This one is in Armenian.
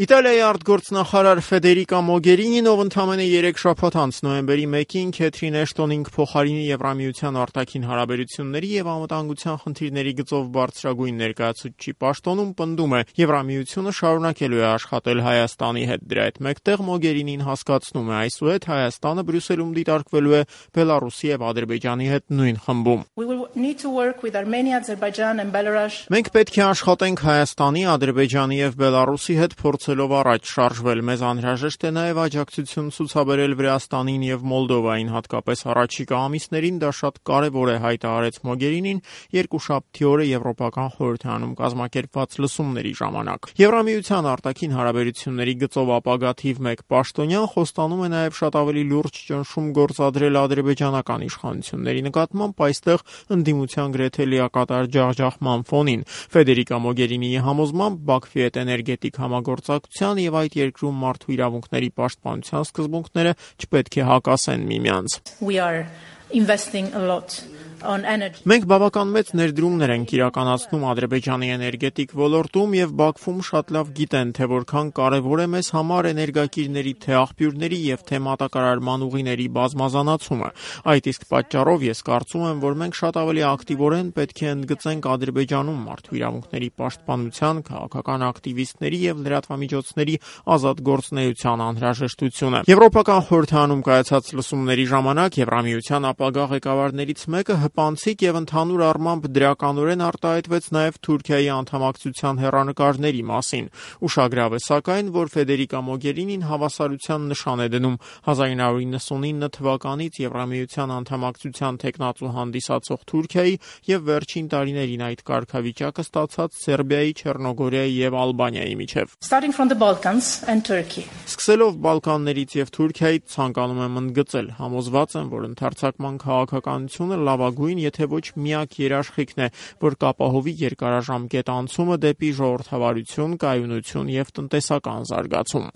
Իտալիայի արտգործնախարար Ֆեդերիկա Մոգերինին, ով ընդամենը 3 շաբաթ անց նոյեմբերի 1-ին Քեթրին Էշտոնին կփոխարինի Եվրամիության արտաքին հարաբերությունների եւ անվտանգության խնդիրների գծով բարձրագույն ներկայացուցչի պաշտոնում, պնդում է, Եվրամիությունը շարունակելու է աշխատել Հայաստանի հետ։ Դրա հետ մեկտեղ Մոգերինին հասկացնում է, այսուհետ Հայաստանը Բրյուսելում դիտարկվելու է Բելարուսի եւ Ադրբեջանի հետ նույն խմբում։ Մենք պետք է աշխատենք Հայաստանի, Ադրբեջանի եւ Բելարուսի հետ փորձելով առաջ շարժվել։ Մեզ անհրաժեշտ է նաև աջակցություն ցուցաբերել Վրաստանին եւ Մոլդովային, հատկապես առաջիկա ամիսներին դա շատ կարևոր է, հայտարարեց Մոգերինին երկուշաբթի օրը Եվրոպական խորհրդարանում կազմակերպված լսումների ժամանակ։ Եվրամիության արտաքին հարաբերությունների գծով ապագա թիվ 1 պաշտոնյան խոստանում է նաև շատ ավելի լուրջ ճնշում գործադրել ադրբեջանական իշխանությունների նկատմամբ, այստեղ ընդդիմության գրեթե լիակատար ջախջախման ֆոնին։ Ֆեդերիկա Մոգերինիի համոզմամբ Բաքվի հետ էներգետիկ համագործակցության եւ այդ երկրում մարդու իրավունքների պաշտպանության սկզբունքները չպետք է հակասեն միմյանց։ Մենք բավական մեծ ներդրումներ ենք իրականացնում Ադրբեջանի էներգետիկ ոլորտում եւ Բաքվում շատ լավ գիտեն, թե որքան կարեւոր է մեզ համար էներգակիրների թե աղբյուրների եւ թե մատակարարման ուղիների բազմազանացումը։ Այդ իսկ պատճառով ես կարծում եմ, որ մենք շատ ավելի ակտիվորեն պետք է ընդգծենք Ադրբեջանում մարդու իրավունքների պաշտպանության, քաղաքական ակտիվիստների եւ լրատվամիջոցների ազատ գործունեության անհրաժեշտությունը։ Եվրոպական խորհրդարանում կայացած լսումների ժամանակ Եվրամիության ապագա ղեկավարներից մեկը հպանցիկ եւ ընդհանուր առմամբ դրականորեն արտահայտվեց նաեւ Թուրքիայի անդամակցության հեռանկարների մասին։ Ուշագրավ է սակայն, որ Ֆեդերիկա Մոգերինին հավասարության նշան է դնում 1999 թվականից Եվրամիության անդամակցության թեկնածու հանդիսացող Թուրքիայի եւ վերջին տարիներին այդ կարգավիճակը ստացած Սերբիայի, Չեռնոգորիայի եւ Ալբանիայի միջև։ Սկսելով Բալկաններից եւ Թուրքիայից ցանկանում եմ ընդգծել, համոզված եմ, որ ընդարձակման քաղաքականությունը լավագույն, եթե ոչ միակ երաշխիքն է, որ կապահովի երկարաժամկետ անցումը դեպի ժողովրդավարություն, կայունություն եւ տնտեսական զարգացում։